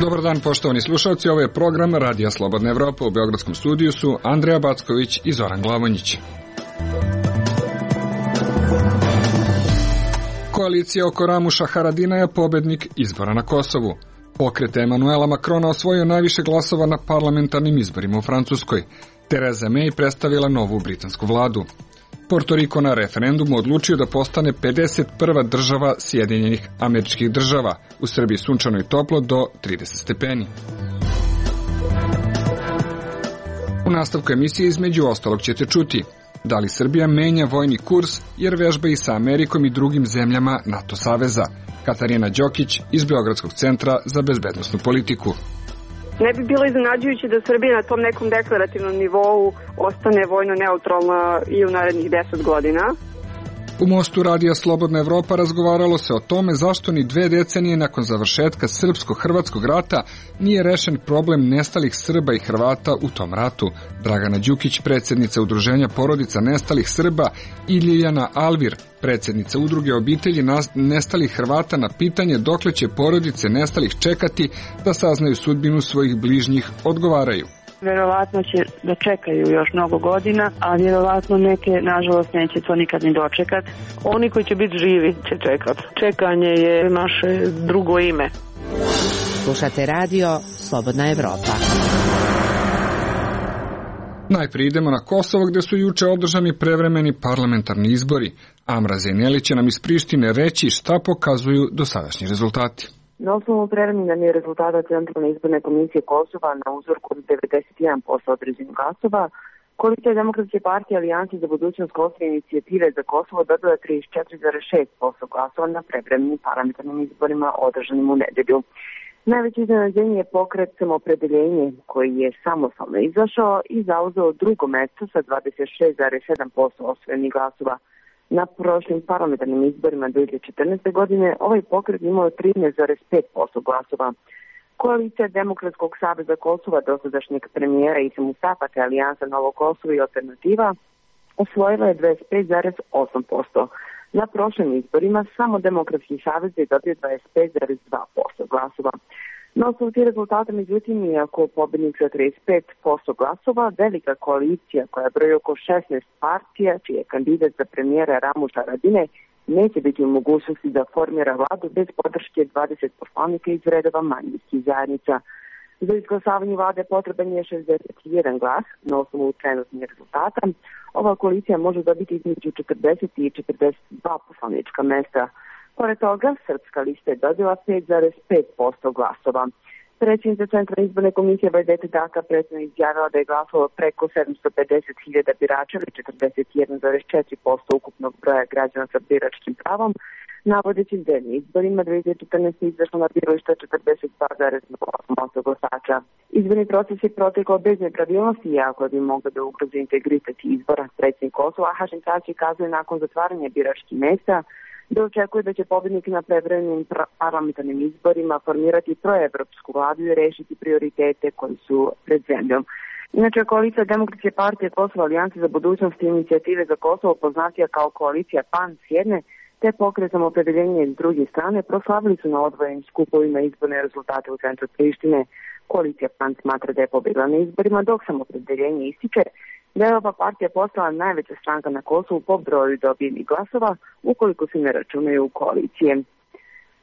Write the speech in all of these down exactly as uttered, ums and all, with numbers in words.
Dobar dan, poštovani slušalci, ovo je program Radija Slobodna Evropa. U beogradskom studiju su Andreja Backović i Zoran Glavonjić. Koalicija oko Ramuša Haradinaja je pobednik izbora na Kosovu. Pokret Emanuela Makrona osvojio najviše glasova na parlamentarnim izborima u Francuskoj. Theresa May predstavila novu britansku vladu. Porto Riko na referendumu odlučio da postane pedeset prva država Sjedinjenih Američkih Država. U Srbiji sunčano i toplo do trideset stepeni. U nastavku emisije između ostalog ćete čuti: da li Srbija menja vojni kurs jer vežba i sa Amerikom i drugim zemljama NATO saveza? Katarina Đokić iz Beogradskog centra za bezbednosnu politiku. Ne bi bilo iznenađujuće da Srbija na tom nekom deklarativnom nivou ostane vojno neutralna i u narednih deset godina. U Mostu Radija Slobodna Evropa razgovaralo se o tome zašto ni dve decenije nakon završetka Srpsko-Hrvatskog rata nije rešen problem nestalih Srba i Hrvata u tom ratu. Dragana Đukić, predsjednica Udruženja porodica nestalih Srba, i Ljiljana Alvir, predsjednica Udruge obitelji nestalih Hrvata, na pitanje dokle će porodice nestalih čekati da saznaju sudbinu svojih bližnjih, odgovaraju. Verovatno će da čekaju još mnogo godina, a vjerovatno neke, nažalost, neće to nikad ni dočekat. Oni koji će biti živi će čekat. Čekanje je naše drugo ime. Slušate radio Slobodna Evropa. Najprije idemo na Kosovo, gde su juče održani prevremeni parlamentarni izbori. Amra Zejneli će nam iz Prištine reći šta pokazuju dosadašnji rezultati. Na osnovu preliminarnih rezultata Centralne izborne komisije Kosova na uzorku od devedeset jedan posto određenih glasova, Koalicija Demokratske partije Alijanse za budućnost Kosova i Inicijative za Kosovo dobila trideset četiri zarez šest posto glasova na prevremenim parlamentarnim izborima održanim u nedelju. Najveće iznenađenje je pokret Samoopredeljenje, koji je samostalno izašao i zauzeo drugo mesto sa dvadeset šest zarez sedam posto osvojenih glasova. Na prošlim parlamentarnim izborima dve hiljade četrnaeste. godine ovaj pokret imao trinaest zarez pet posto glasova. Koalicija Demokratskog saveza Kosova, dosadašnjeg premijera Isa Mustafa te Alijansa Novo Kosovo i Alternativa, osvojila je dvadeset pet zarez osam posto. Na prošlim izborima samo Demokratski savez je dobio dvadeset pet zarez dva posto glasova. Na osnovu tih rezultata, međutim, iako pobednik sa trideset pet posto glasova, velika koalicija koja broji oko šesnaest partija, čiji je kandidat za premijera Ramuša Haradinaj, neće biti u mogućnosti da formira vladu bez podrške dvadeset poslanika iz redova manjinskih zajednica. Za izglasavanje vlade potreban je šezdeset jedan glas. Na osnovu trenutnih rezultata, ova koalicija može dobiti između četrdeset i četrdeset dva poslanička mesta. Pored toga, Srpska lista je dobila pet zarez pet posto glasova. Predsjednica Centralne izborne komisije Vajdete Daka predstavno izjavila da je glasalo preko sedamsto pedeset hiljada birača ili četrdeset jedan zarez četiri posto ukupnog broja građana sa biračkim pravom, navodeći da je na izborima dve hiljade četrnaeste. izašlo na birališta četrdeset dva zarez osam posto glasača. Izborni proces je protekao bez nepravilnosti, iako bi moglo da ugrozi integritet izbora. Predsjednik Kosova Hašim Tači kazuje nakon zatvaranja biračkih mesta da očekuje da će pobednik na prevremenim parlamentarnim izborima formirati proevropsku vladu i rešiti prioritete koji su pred zemljom. Inače, Koalicija Demokratske partije Kosova, Alijanse za budućnost i Inicijative za Kosovo, poznatija kao Koalicija P A N s jedne, te Pokret Samoopredeljenje s druge strane, proslavili su na odvojenim skupovima izborne rezultate u centru Prištine. Koalicija P A N smatra da je pobedila na izborima, dok Samoopredeljenje ističe da je ova partija postala najveća stranka na Kosovu po broju dobijenih glasova, ukoliko se ne računaju koalicije.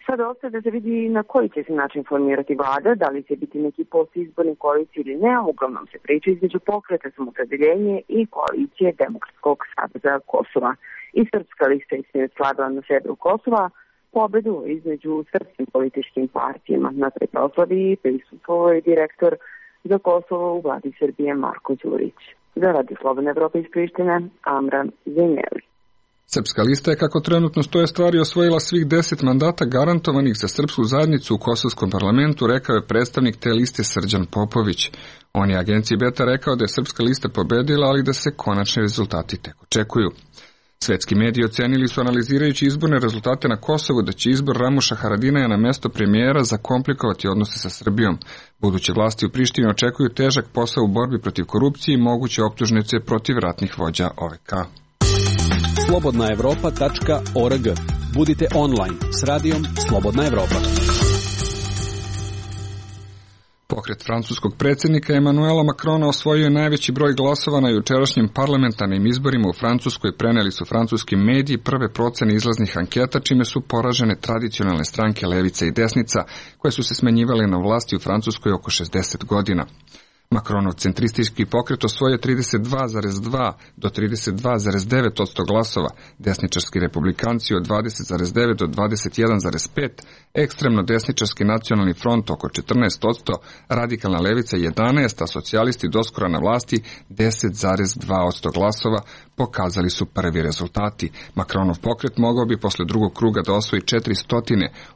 Sada ostaje da se vidi na koji će se način formirati vlada, da li će biti neki postizborni koaliciji ili ne, a uglavnom se priča između Pokreta Samoopredeljenje i Koalicije Demokratskog saveza Kosova. I Srpska lista je slavila na severu Kosova pobedu između srpskim političkim partijama. Na toj proslavi prisustvovao je direktor za Kosovo u vladi Srbije Marko Đurić. Za Radio Slobodna Evropa iz Prištine, Amra Zejneli. Srpska lista je, kako trenutno stoje stvari, osvojila svih deset mandata garantovanih za srpsku zajednicu u kosovskom parlamentu, rekao je predstavnik te liste Srđan Popović. On je agenciji Beta rekao da je Srpska lista pobedila, ali da se konačni rezultati tek očekuju. Svetski mediji ocenili su, analizirajući izborne rezultate na Kosovu, da će izbor Ramuša Haradinaja na mesto premijera zakomplikovati odnose sa Srbijom. Buduće vlasti u Prištini očekuju težak posao u borbi protiv korupcije i moguće optužnice protiv ratnih vođa O V K. slobodna evropa tačka org. Budite online s radijom Slobodna Evropa. Pokret francuskog predsjednika Emanuela Macrona osvojio je najveći broj glasova na jučerašnjim parlamentarnim izborima u Francuskoj, preneli su francuski mediji prve procene izlaznih anketa, čime su poražene tradicionalne stranke levica i desnica, koje su se smenjivale na vlasti u Francuskoj oko šezdeset godina. Macronov centristički pokret osvojio trideset dva zarez dva do trideset dva zarez devet posto glasova, desničarski republikanci od dvadeset zarez devet do dvadeset jedan zarez pet, ekstremno desničarski nacionalni front oko četrnaest posto, radikalna levica jedanaest, a socijalisti doskora na vlasti deset zarez dva posto glasova, pokazali su prvi rezultati. Macronov pokret mogao bi posle drugog kruga da osvoji četiristo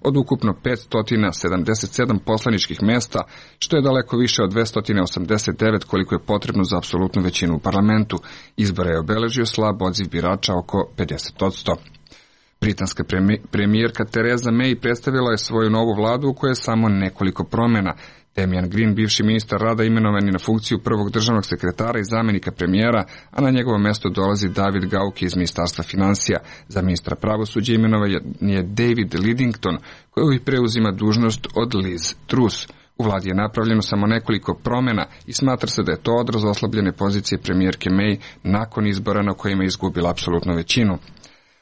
od ukupno petsto sedamdeset sedam poslaničkih mesta, što je daleko više od dvesta osamdeset devet koliko je potrebno za apsolutnu većinu u parlamentu. Izbore je obeležio slab odziv birača oko pedeset posto. Britanska premijerka Theresa May predstavila je svoju novu vladu u kojoj je samo nekoliko promjena. Damian Green, bivši ministar rada, imenovan je na funkciju prvog državnog sekretara i zamjenika premijera, a na njegovo mjesto dolazi David Gauke iz ministarstva financija. Za ministra pravosuđa imenovan je David Lidington, koji preuzima dužnost od Liz Truss. U vladi je napravljeno samo nekoliko promjena i smatra se da je to odraz oslabljene pozicije premijerke May nakon izbora na kojima je izgubila apsolutnu većinu.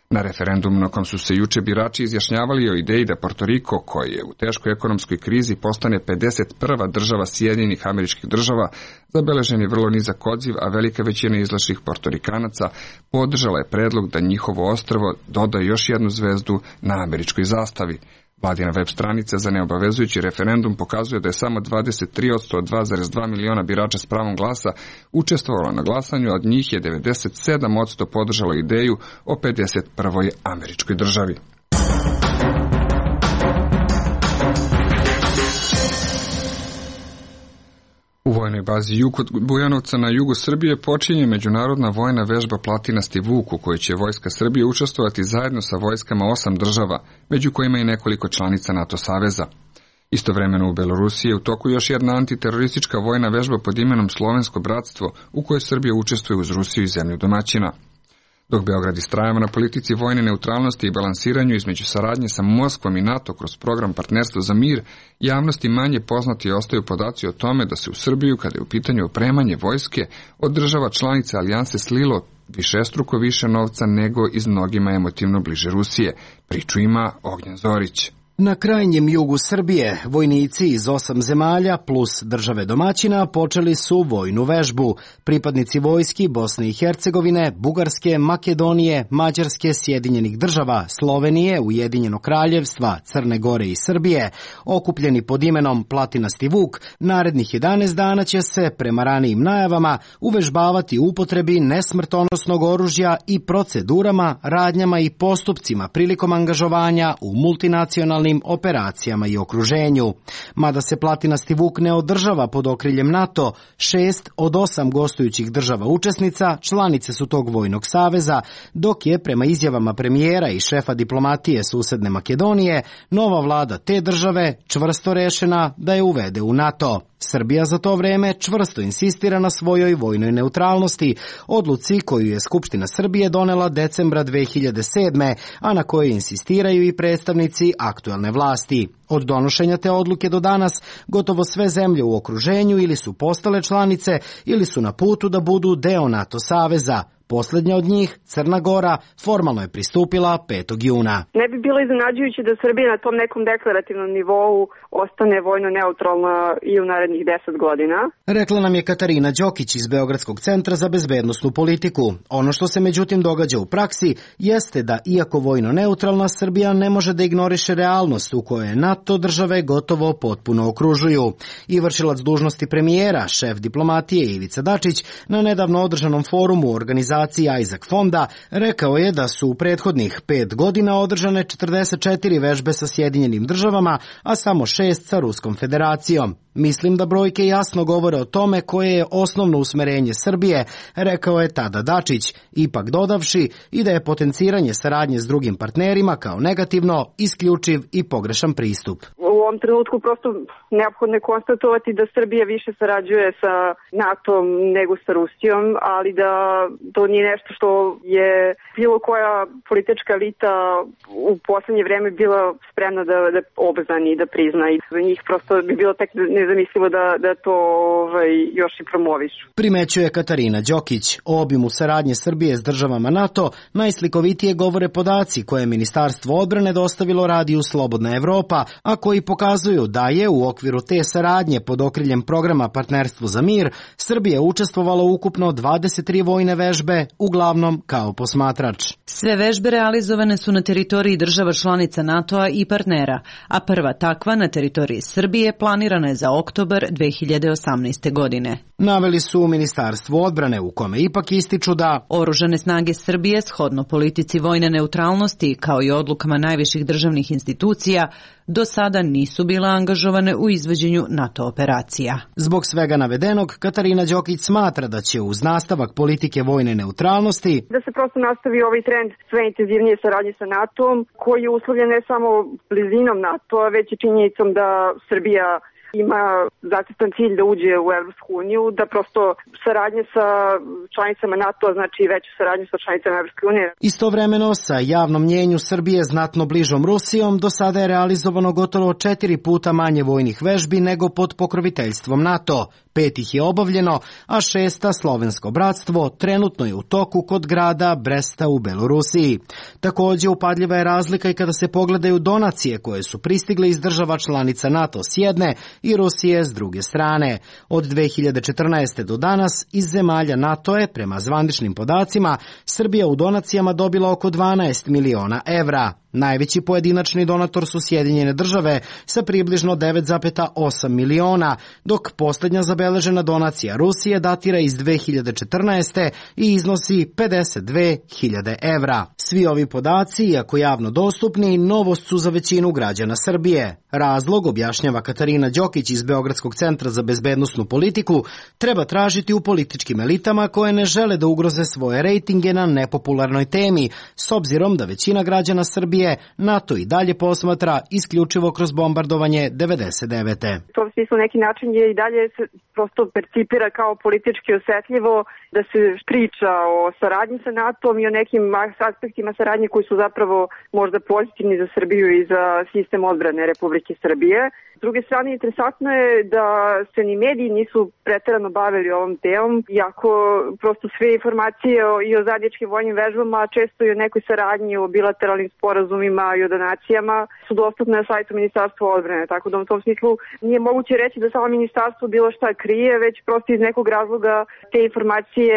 Na referendumu na kom su se juče birači izjašnjavali o ideji da Porto Riko, koji je u teškoj ekonomskoj krizi, postane pedeset prva država Sjedinjenih Američkih Država, zabeležen je vrlo nizak odziv, a velika većina izlašlih Portorikanaca podržala je predlog da njihovo ostrvo doda još jednu zvezdu na američkoj zastavi. Vladina web stranica za neobavezujući referendum pokazuje da je samo dvadeset tri posto od dva zarez dva miliona birača s pravom glasa učestvovalo na glasanju, od njih je devedeset sedam posto podržalo ideju o pedeset prvoj američkoj državi. U vojnoj bazi Jug kod Bujanovca na jugu Srbije počinje međunarodna vojna vežba Platinasti Vuk, u kojoj će vojska Srbije učestvovati zajedno sa vojskama osam država, među kojima i nekoliko članica NATO saveza. Istovremeno u Belorusiji je u toku još jedna antiteroristička vojna vežba pod imenom Slovensko bratstvo, u kojoj Srbija učestvuje uz Rusiju i zemlju domaćina. Dok Beograd istrajava na politici vojne neutralnosti i balansiranju između saradnje sa Moskvom i NATO kroz program Partnerstvo za mir, javnosti manje poznati ostaju podaci o tome da se u Srbiju, kada je u pitanju opremanje vojske, od država članica alijanse slilo višestruko više novca nego iz mnogima emotivno bliže Rusije. Priču ima Ognjen Zorić. Na krajnjem jugu Srbije vojnici iz osam zemalja plus države domaćina počeli su vojnu vežbu. Pripadnici vojski Bosne i Hercegovine, Bugarske, Makedonije, Mađarske, Sjedinjenih država, Slovenije, Ujedinjenog kraljevstva, Crne Gore i Srbije, okupljeni pod imenom Platinasti Vuk, narednih jedanaest dana će se, prema ranijim najavama, uvežbavati u upotrebi nesmrtonosnog oružja i procedurama, radnjama i postupcima prilikom angažovanja u multinacionalnim operacijama i okruženju. Mada se Platinasti Vuk ne održava pod okriljem NATO, šest od osam gostujućih država učesnica članice su tog vojnog saveza, dok je prema izjavama premijera i šefa diplomatije susedne Makedonije nova vlada te države čvrsto rešena da je uvede u NATO. Srbija za to vreme čvrsto insistira na svojoj vojnoj neutralnosti, odluci koju je Skupština Srbije donela decembra dve hiljade sedme, a na kojoj insistiraju i predstavnici aktuelne vlasti. Od donošenja te odluke do danas gotovo sve zemlje u okruženju ili su postale članice ili su na putu da budu deo NATO saveza. Poslednja od njih, Crna Gora, formalno je pristupila petog juna. Ne bi bilo iznenađujuće da Srbija na tom nekom deklarativnom nivou ostane vojno neutralna i u narednih deset godina. Rekla nam je Katarina Đokić iz Beogradskog centra za bezbednosnu politiku. Ono što se međutim događa u praksi jeste da, iako vojno neutralna, Srbija ne može da ignoriše realnost u kojoj NATO države gotovo potpuno okružuju. I vršilac dužnosti premijera, šef diplomatije Ivica Dačić, na nedavno održanom forumu organizacije Isaac Fonda rekao je da su u prethodnih pet godina održane četrdeset četiri vežbe sa Sjedinjenim državama, a samo šest sa Ruskom federacijom. Mislim da brojke jasno govore o tome koje je osnovno usmerenje Srbije, rekao je tada Dačić, ipak dodavši i da je potenciranje saradnje s drugim partnerima kao negativno, isključiv i pogrešan pristup. U ovom trenutku prosto neophodno je konstatovati da Srbija više sarađuje sa NATO-om nego sa Rusijom, ali da to nije nešto što je bilo koja politička elita u poslednje vreme bila spremna da, da obznani i da prizna, i za njih prosto bi bilo tek nezamislivo da, da to ovaj, još i promovišu. Primećuje Katarina Đokić. O obimu saradnje Srbije s državama NATO najslikovitije govore podaci koje je Ministarstvo odbrane dostavilo radiju Slobodna Evropa, a koji pokazuju da je u okviru te saradnje pod okriljem programa Partnerstvo za mir Srbija učestvovala ukupno dvadeset tri vojne vežbe, uglavnom kao posmatrač. Sve vežbe realizovane su na teritoriji država članica NATO-a i partnera, a prva takva na teritoriji Srbije planirana je za oktobar dve hiljade osamnaeste. godine. Naveli su u Ministarstvu odbrane, u kome ipak ističu da Oružane snage Srbije, shodno politici vojne neutralnosti kao i odlukama najviših državnih institucija, do sada nisu bila angažovane u izvođenju NATO operacija. Zbog svega navedenog, Katarina Đokić smatra da će uz nastavak politike vojne neutralnosti da se prosto nastavi ovaj trend sve intenzivnije saradnje sa NATO-om, koji je uslovljen ne samo blizinom NATO-a, već i činjenicom da Srbija ima zacrtan cilj da uđe u Evropsku uniju, da prosto saradnje sa članicama NATO-a znači veću saradnju sa članicama Evropske unije. Istovremeno sa javnom mnjenju Srbije znatno bližom Rusijom do sada je realizovano gotovo četiri puta manje vojnih vežbi nego pod pokroviteljstvom NATO. Pet ih je obavljeno, a šesta, Slovensko bratstvo, trenutno je u toku kod grada Bresta u Belorusiji. Takođe, upadljiva je razlika i kada se pogledaju donacije koje su pristigle iz država članica NATO s jedne i Rusije s druge strane. Od dve hiljade četrnaeste. do danas iz zemalja NATO je, prema zvaničnim podacima, Srbija u donacijama dobila oko dvanaest miliona evra. Najveći pojedinačni donator su Sjedinjene države sa približno devet zarez osam miliona, dok posljednja zabeležena donacija Rusije datira iz dve hiljade četrnaeste. i iznosi pedeset dve hiljade evra. Svi ovi podaci, iako javno dostupni, novost su za većinu građana Srbije. Razlog, objašnjava Katarina Đokić iz Beogradskog centra za bezbednosnu politiku, treba tražiti u političkim elitama koje ne žele da ugroze svoje rejtinge na nepopularnoj temi, s obzirom da većina građana Srbije NATO i dalje posmatra isključivo kroz bombardovanje devedeset devete. To u smislu neki način je i dalje se prosto percipira kao politički osetljivo da se priča o saradnji sa NATO-om i o nekim aspektima saradnje koji su zapravo možda pozitivni za Srbiju i za sistem odbrane Republike Srbije. S druge strane, interesantno je da se ni mediji nisu preterano bavili ovom temom, iako prosto sve informacije o, i o zajedničkim vojnim vežbama, često i o nekoj saradnji, o bilateralnim sporazumima i o donacijama su dostupne na sajtu Ministarstva odbrane. Tako da u tom smislu nije moguće reći da samo ministarstvo bilo šta krije, već prosto iz nekog razloga te informacije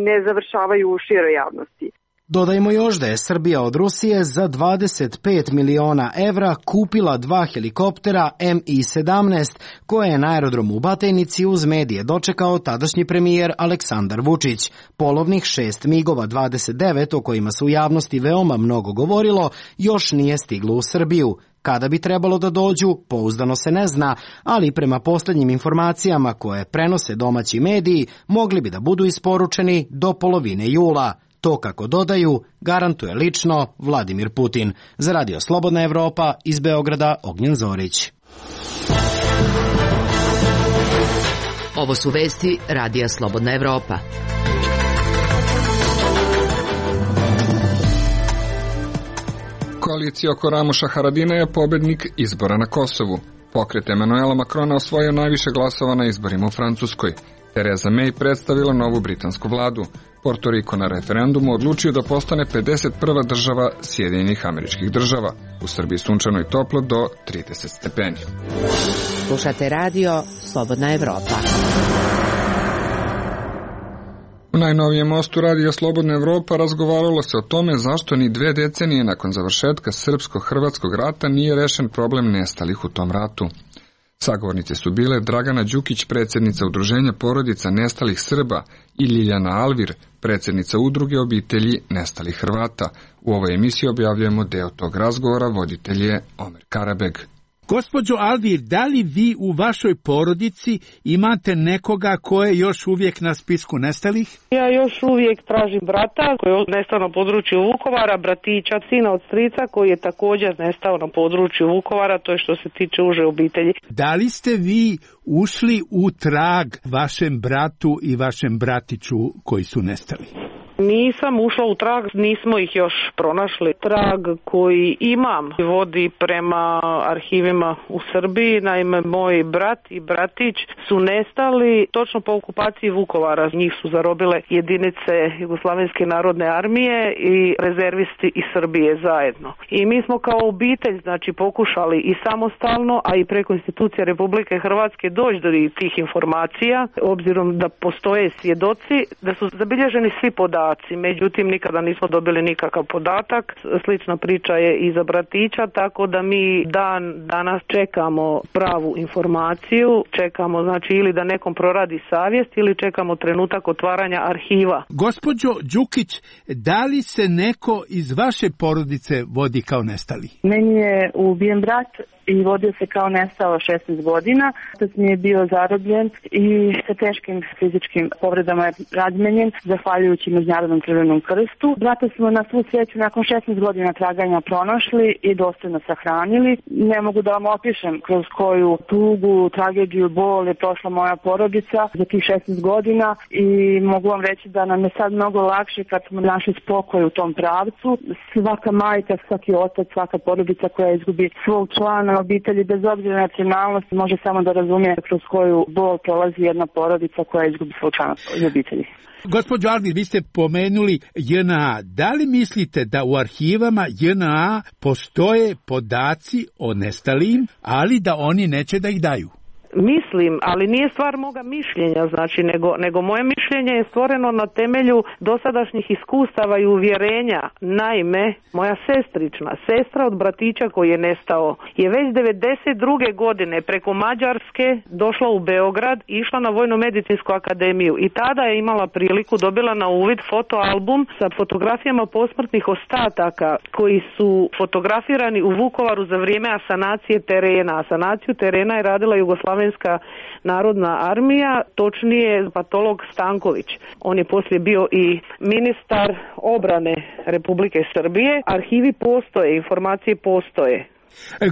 ne završavaju u široj javnosti. Dodajmo još da je Srbija od Rusije za dvadeset pet miliona evra kupila dva helikoptera M I sedamnaest koje je na aerodromu u Batajnici uz medije dočekao tadašnji premijer Aleksandar Vučić. Polovnih šest migova dvadeset devet o kojima se u javnosti veoma mnogo govorilo još nije stiglo u Srbiju. Kada bi trebalo da dođu, pouzdano se ne zna, ali prema posljednjim informacijama koje prenose domaći mediji mogli bi da budu isporučeni do polovine jula. To, kako dodaju, garantuje lično Vladimir Putin. Za Radio Slobodna Evropa iz Beograda, Ognjen Zorić. Ovo su vesti Radija Slobodna Evropa. Koalicija oko Ramuša Haradina je pobednik izbora na Kosovu. Pokret Emanuela Makrona osvojio najviše glasova na izborima u Francuskoj. Theresa May predstavila novu britansku vladu. Porto Riko na referendumu odlučio da postane pedeset prva država Sjedinjenih Američkih Država. U Srbiji sunčano i toplo do trideset stepeni. Slušate radio Slobodna Evropa. U najnovijem mostu Radija Slobodna Evropa razgovaralo se o tome zašto ni dve decenije nakon završetka Srpsko-Hrvatskog rata nije rešen problem nestalih u tom ratu. Sagovornice su bile Dragana Đukić, predsjednica Udruženja porodica nestalih Srba, i Ljiljana Alvir, predsjednica Udruge obitelji nestalih Hrvata. U ovoj emisiji objavljujemo deo tog razgovora, voditelj je Omer Karabeg. Gospođo Alvir, da li vi u vašoj porodici imate nekoga ko je još uvijek na spisku nestalih? Ja još uvijek tražim brata koji je nestao na području Vukovara, bratića, sina od strica koji je također nestao na području Vukovara, to je što se tiče uže obitelji. Da li ste vi ušli u trag vašem bratu i vašem bratiću koji su nestali? Nisam ušla u trag, nismo ih još pronašli. Trag koji imam vodi prema arhivima u Srbiji. Naime, moj brat i bratić su nestali točno po okupaciji Vukovara. Njih su zarobile jedinice Jugoslavenske narodne armije i rezervisti iz Srbije zajedno. I mi smo kao obitelj, znači, pokušali i samostalno, a i preko institucije Republike Hrvatske doći do tih informacija, obzirom da postoje svjedoci, da su zabilježeni svi podaci. Međutim, nikada nismo dobili nikakav podatak. Slična priča je i za bratića, tako da mi dan danas čekamo pravu informaciju, čekamo znači ili da nekom proradi savjest ili čekamo trenutak otvaranja arhiva. Gospođo Đukić, da li se neko iz vaše porodice vodi kao nestali? Meni je ubijen brat i vodio se kao nestao šesnaest godina. Otac mi je bio zarobljen i sa teškim fizičkim povredama je razmenjen, zahvaljujući Međunarodnom Crvenom krstu. Brata smo na svu sreću nakon šesnaest godina traganja pronašli i dostojno sahranili. Ne mogu da vam opišem kroz koju tugu, tragediju, bol je prošla moja porodica za tih šesnaest godina i mogu vam reći da nam je sad mnogo lakše kad smo našli spokoj u tom pravcu. Svaka majka, svaki otac, svaka porodica koja izgubi svog člana obitelji, bez obzira na nacionalnost, može samo da razumije kroz koju bol prolazi jedna porodica koja izgubi svog člana obitelji. Gospođo Alvir, vi ste pomenuli J N A. Da li mislite da u arhivama J N A postoje podaci o nestalim, ali da oni neće da ih daju? Mislim, ali nije stvar moga mišljenja, znači, nego, nego moje mišljenje je stvoreno na temelju dosadašnjih iskustava i uvjerenja. Naime, moja sestrična, sestra od bratića koji je nestao, je već devedeset druge godine preko Mađarske došla u Beograd, išla na Vojno-medicinsku akademiju i tada je imala priliku, dobila na uvid fotoalbum sa fotografijama posmrtnih ostataka koji su fotografirani u Vukovaru za vrijeme asanacije terena. Asanaciju terena je radila Jugoslavija Jugoslavenska narodna armija, točnije patolog Stanković. On je poslije bio i ministar obrane Republike Srbije. Arhivi postoje, informacije postoje.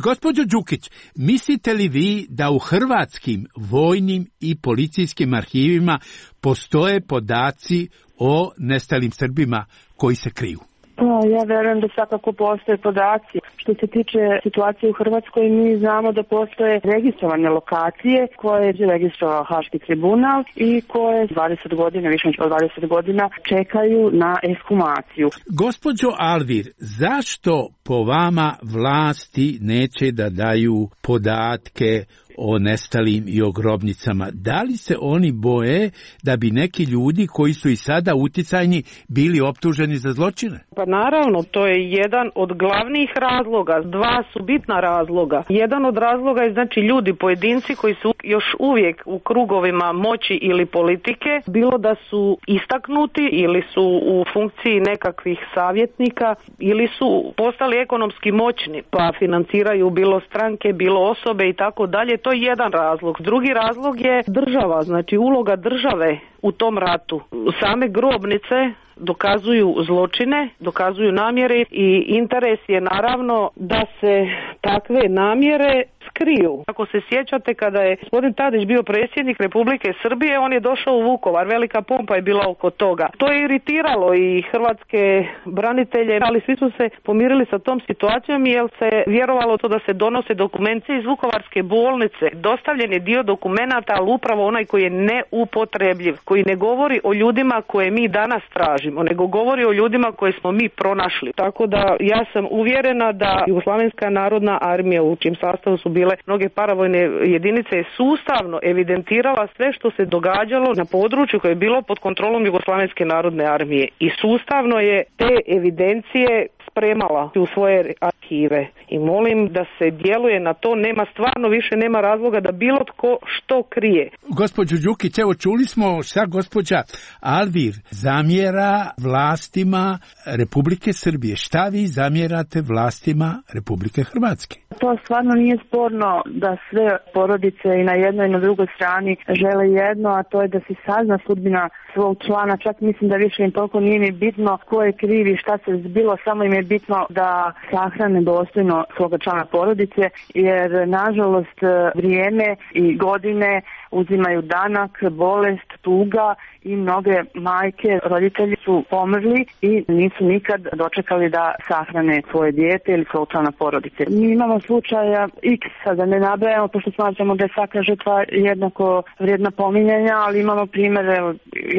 Gospođo Đukić, mislite li vi da u hrvatskim vojnim i policijskim arhivima postoje podaci o nestalim Srbima koji se kriju? Pa, ja verujem da svakako postoje podaci. Što se tiče situacije u Hrvatskoj, mi znamo da postoje registrovane lokacije koje je registrovao Haški tribunal i koje dvadeset godina, više od dvadeset godina, čekaju na ekshumaciju. Gospođo Alvir, zašto po vama vlasti neće da daju podatke o nestalim i o grobnicama? Da li se oni boje da bi neki ljudi koji su i sada uticajni bili optuženi za zločine? Pa naravno, to je jedan od glavnih razloga. Dva su bitna razloga. Jedan od razloga je znači ljudi, pojedinci koji su još uvijek u krugovima moći ili politike, bilo da su istaknuti ili su u funkciji nekakvih savjetnika ili su postali ekonomski moćni, pa financiraju bilo stranke, bilo osobe i tako dalje. To je jedan razlog. Drugi razlog je država, znači uloga države u tom ratu. Same grobnice dokazuju zločine, dokazuju namjere i interes je naravno da se takve namjere skriju. Ako se sjećate, kada je gospodin Tadić bio predsjednik Republike Srbije, on je došao u Vukovar, velika pompa je bila oko toga. To je iritiralo i hrvatske branitelje, ali svi su se pomirili sa tom situacijom jer se vjerovalo to da se donose dokumenti iz Vukovarske bolnice. Dostavljen je dio dokumenata, ali upravo onaj koji je neupotrebljiv, koji ne govori o ljudima koje mi danas tražimo, nego govori o ljudima koje smo mi pronašli. Tako da ja sam uvjerena da Jugoslavenska narodna armija, u čijem sastavu su bile mnoge paravojne jedinice, je sustavno evidentirala sve što se događalo na području koje je bilo pod kontrolom Jugoslavenske narodne armije i sustavno je te evidencije spremala u svoje arhive i molim da se djeluje na to, nema stvarno više nema razloga da bilo tko što krije. Gospođo Đukić, evo čuli smo šta gospođa Alvir zamjera vlastima Republike Srbije. Šta vi zamjerate vlastima Republike Hrvatske? To stvarno nije sporno da sve porodice i na jednoj i na drugoj strani žele jedno, a to je da se sazna sudbina svog člana. Čak mislim da više im toliko nije ni bitno ko je kriv i šta se zbilo, samo im je bitno da sahrane dostojno svoga člana porodice, jer nažalost vrijeme i godine uzimaju danak, bolest, tuga i mnoge majke, roditelji su pomrli i nisu nikad dočekali da sahrane svoje dijete ili svog člana porodice. Mi imamo slučaja X, da ne nabrajamo, pošto smatramo da je svaka žrtva jednako vrijedna pominjanja, ali imamo primjere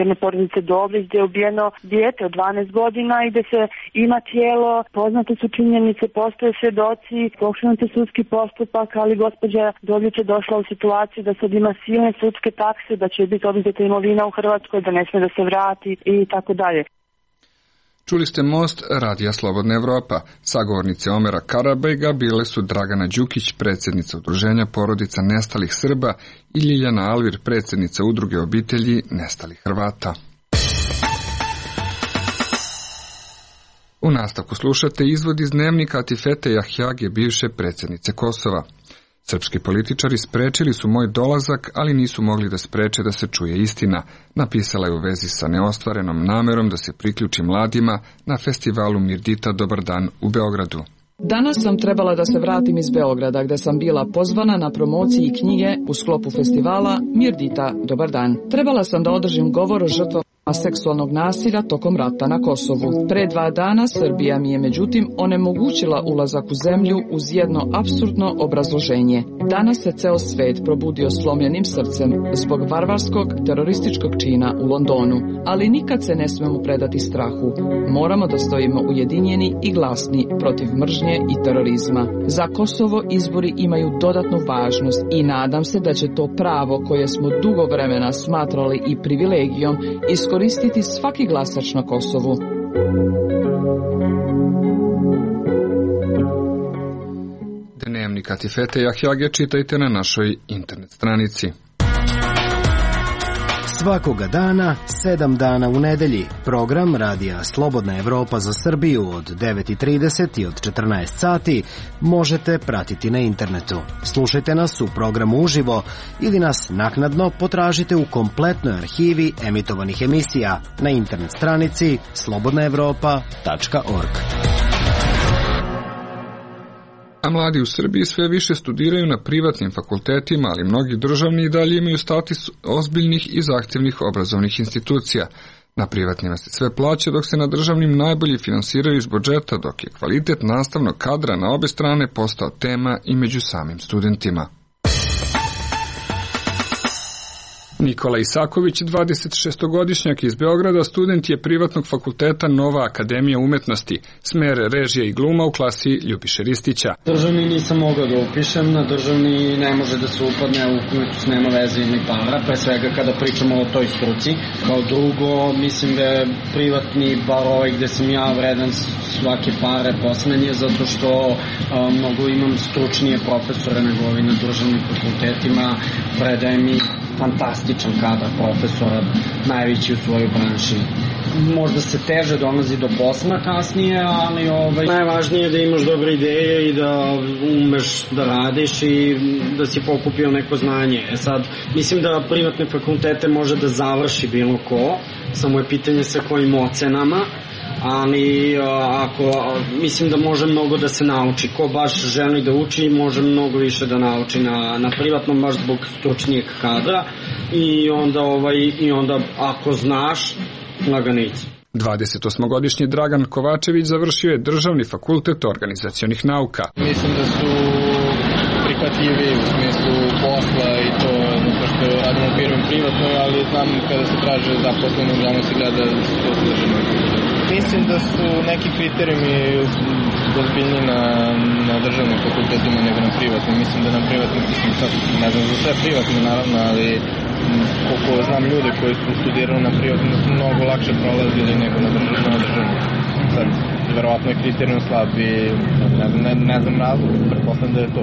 jedne porodice Dobrić gdje je ubijeno dijete od dvanaest godina i gdje se ima tijelo, poznate su činjenice, postoje svjedoci, pokrenut je sudski postupak, ali gospođa Dobrić je došla u situaciju da sad ima silne sudske takse, da će biti oduzeta imovina u Hrvatskoj, da ne smije da se vrati i tako dalje. Čuli ste Most Radija Slobodna Evropa. Sagovornice Omera Karabajga bile su Dragana Đukić, predsjednica Udruženja porodica nestalih Srba, i Ljiljana Alvir, predsjednica Udruge obitelji nestalih Hrvata. U nastavku slušate izvod iz dnevnika Atifete Jahjage, bivše predsjednice Kosova. Srpski političari sprečili su moj dolazak, ali nisu mogli da spreče da se čuje istina, napisala je u vezi sa neostvarenom namerom da se priključi mladima na festivalu Mirdita Dobar dan u Beogradu. Danas sam trebala da se vratim iz Beograda, gde sam bila pozvana na promociji knjige u sklopu festivala Mirdita Dobar dan. Trebala sam da održim govor o žrtvama seksualnog nasilja tokom rata na Kosovu. Pre dva dana Srbija mi je međutim onemogućila ulazak u zemlju uz jedno apsurdno obrazloženje. Danas se ceo svet probudio slomljenim srcem zbog varvarskog terorističkog čina u Londonu, ali nikad se ne smemo predati strahu. Moramo da stojimo ujedinjeni i glasni protiv mržnje i terorizma. Za Kosovo izbori imaju dodatnu važnost i nadam se da će to pravo koje smo dugo vremena smatrali i privilegijom iskoristiti svaki glasač na Kosovu. Dnevnik Atifete Jahjage čitajte na našoj internet stranici. Svakoga dana, sedam dana u nedelji, program Radija Slobodna Evropa za Srbiju od devet i trideset i od četrnaest sati možete pratiti na internetu. Slušajte nas u programu uživo ili nas naknadno potražite u kompletnoj arhivi emitovanih emisija na internet stranici slobodna evropa tačka org. A mladi u Srbiji sve više studiraju na privatnim fakultetima, ali mnogi državni i dalje imaju status ozbiljnih i zahtjevnih obrazovnih institucija. Na privatnima se sve plaća, dok se na državnim najbolje finansiraju iz budžeta, dok je kvalitet nastavnog kadra na obe strane postao tema i među samim studentima. Nikola Isaković, dvadesetšestogodišnjak iz Beograda, student je privatnog fakulteta Nova akademija umetnosti, smer režija i gluma u klasi Ljubiše Ristića. Državni nisam mogao da upišem, na državni ne može da se upadne, ukoliko nema veze ni para, pre svega kada pričamo o toj struci. Kao drugo, mislim da je privatni, bar ovaj gde sam ja, vredan svake pare poslednje, zato što a, mnogo imam stručnije profesore nego ovi na državnim fakultetima, predaje mi fantastičan kadar profesora, najveći u svojoj branši. Možda se teže dolazi do posla kasnije, ali ovaj, najvažnije je da imaš dobre ideje i da umeš da radiš i da si pokupio neko znanje. E sad, mislim da privatne fakultete može da završi bilo ko, samo je pitanje sa kojim ocenama, ali ako, mislim da može mnogo da se nauči. Ko baš želi da uči, može mnogo više da nauči na, na privatnom, baš zbog stručnijeg kadra i onda, ovaj, i onda ako znaš, laganici. dvadesetosmogodišnji Dragan Kovačević završio je Državni fakultet organizacionih nauka. Mislim da su prihvatljivi u smislu posla i to zato što radimo u firmi privatnoj, ali znam kada se traže zaposleno, uglavnom se gleda što se državno. Mislim da su neki kriterijumi ozbiljni na, na državnim fakultetima nego na privatnim. Mislim da na privatnim, ne znam za sve privatne naravno, ali koliko znam ljude koji su studirali na privatnom da su mnogo lakše prolazili nego na državnom. Sad, verovatno je kriterijum slab i ne, ne, ne znam razlog, pretpostavljam da je to.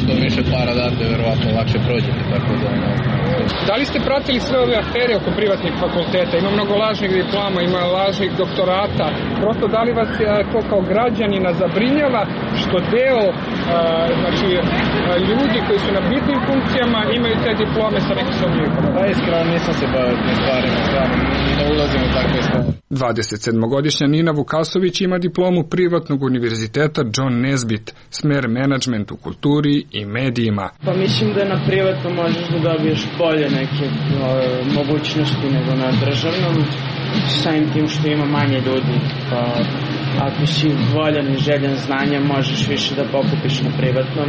Što više para date, verovatno lakše prođete, tako da... Ne, da li ste pratili sve ove afere oko privatnih fakulteta? Ima mnogo lažnih diploma, ima lažnih doktorata. Prosto da li vas to kao građanina zabrinjava što deo a, znači, a, ljudi koji su na bitnim funkcijama imaju te diplome sa nekim sumnjivima? Da, iskreno nisam se bavio tim stvarima, stvarno ne ulazim u takve stvari. dvadesetsedmogodišnja Nina Vukasović ima diplomu privatnog univerziteta John Nesbitt, smer menadžment u kulturi i medijima. Pa mislim da na privatnom možeš da dobiješ bolje neke o, mogućnosti nego na državnom, samim tim što ima manje ljudi, pa ako si voljan i željan znanja možeš više da pokupiš na privatnom,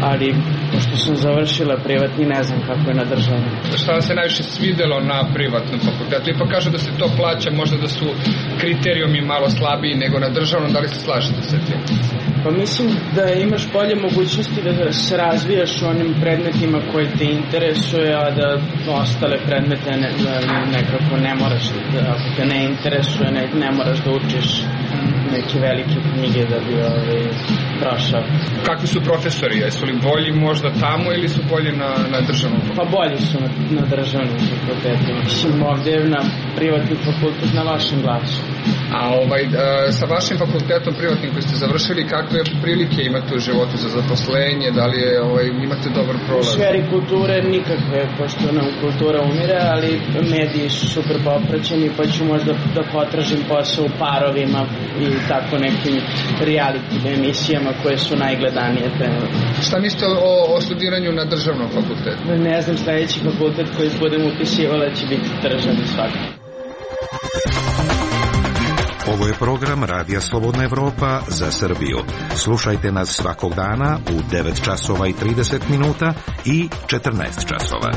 ali pošto sam završila privatni ne znam kako je na državnom. Šta vam se najviše svidelo na privatnom fakultetu? Ipak kaže da se to plaća, možda da su kriterijumi malo slabiji nego na državnom, da li se slažete sa tim? Pa mislim da imaš bolje mogućnosti da se razvijaš u onim predmetima koji te interesuje, a da ostale predmete ne, nekako ne moraš, da, ako te ne interesuje, ne, ne moraš da učiš neke velike knjige da bi ovaj, prošao. Kakvi su profesori? Jesu li bolji možda tamo ili su bolji na, na državnom fakultetu? Pa bolji su na, na državnom fakultetu. Mislim, ovdje je na privatni fakultet na vašem glasu. A ovaj, sa vašim fakultetom privatnim koji ste završili, kakve prilike imate u životu za zaposlenje? Da li je, ovaj, imate dobar prolaz? U sferi kulture nikakve, pošto nam kultura umire, ali mediji su super popraćeni, pa ću možda da potražim posao u Parovima i tako nekim reality emisijama koje su najgledanije trenutno. Šta mislite o, o studiranju na državnom fakultetu? Ne znam, sledeći fakultet koji budem upisivala će biti državni svakako. Ovo je program Radija Slobodna Evropa za Srbiju. Slušajte nas svakog dana u devet časova i trideset minuta i četrnaest časova.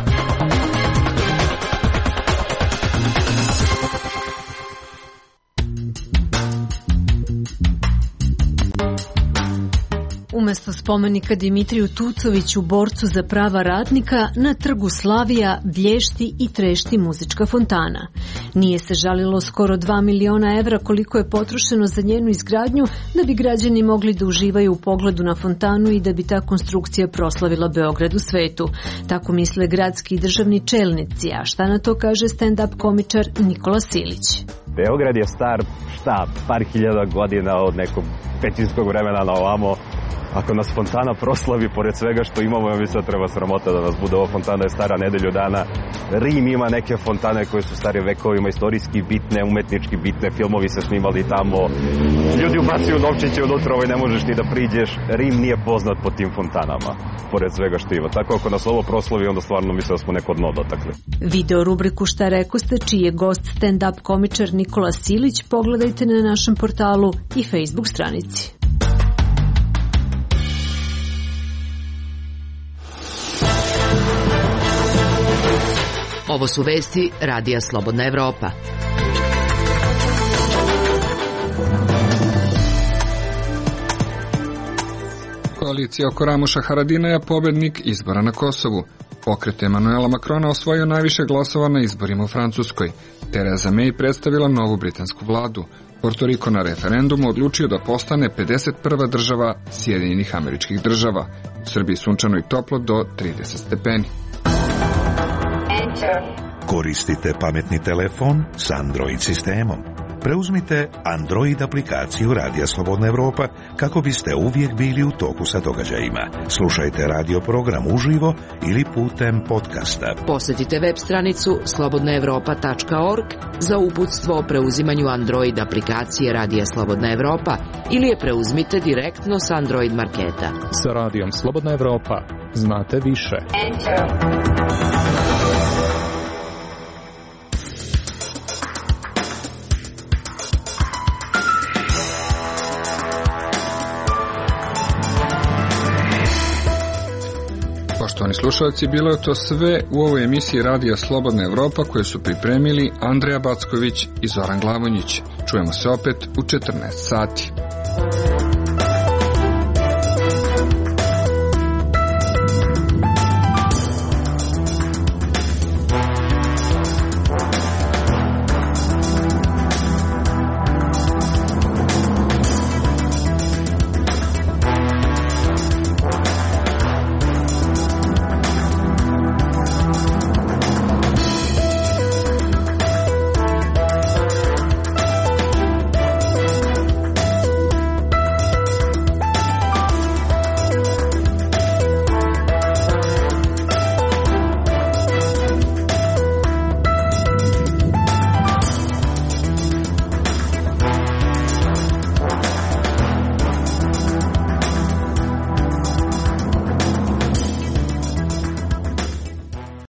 Umesto spomenika Dimitriju Tucoviću, borcu za prava radnika, na trgu Slavija blješti i trešti muzička fontana. Nije se žalilo skoro dva miliona evra koliko je potrošeno za njenu izgradnju da bi građani mogli da uživaju u pogledu na fontanu i da bi ta konstrukcija proslavila Beograd u svetu. Tako misle gradski i državni čelnici, a šta na to kaže stand-up komičar Nikola Silić. Beograd je star, šta, par hiljada godina od nekog pećinskog vremena na ovamo. Ako nas fontana proslavi, pored svega što imamo, ja mislim da treba sramota da nas bude. Ova fontana je stara nedelju dana. Rim ima neke fontane koje su stare vekovima, istorijski bitne, umetnički bitne, filmovi se snimali tamo. Ljudi ubacuju novčiće unutra, ovaj ne možeš ni da priđeš. Rim nije poznat po tim fontanama, pored svega što ima. Tako ako nas ovo proslavi, onda stvarno mislim da smo neko dno dotakli. Video rubriku Šta rekoste, čiji je gost stand-up komičar Nikola Silić, pogledajte na našem portalu i Facebook stranici. Ovo su vesti Radija Slobodna Evropa. Koalicija oko Ramuša Haradinaja pobednik izbora na Kosovu. Pokret Emanuela Makrona osvojio najviše glasova na izborima u Francuskoj. Theresa May predstavila novu britansku vladu. Porto Riko na referendumu odlučio da postane pedeset prva država Sjedinjenih Američkih Država. U Srbiji sunčano i toplo do trideset stepeni. Koristite pametni telefon s Android sistemom. Preuzmite Android aplikaciju Radija Slobodna Evropa kako biste uvijek bili u toku sa događajima. Slušajte radio program uživo ili putem podcasta. Posjetite web stranicu slobodna evropa tačka org za uputstvo o preuzimanju Android aplikacije Radija Slobodna Evropa ili je preuzmite direktno s Android marketa. Sa Radijom Slobodna Evropa znate više. Poštovani slušalci, bilo je to sve u ovoj emisiji Radija Slobodna Evropa koje su pripremili Andreja Backović i Zoran Glavonjić. Čujemo se opet u četrnaest sati.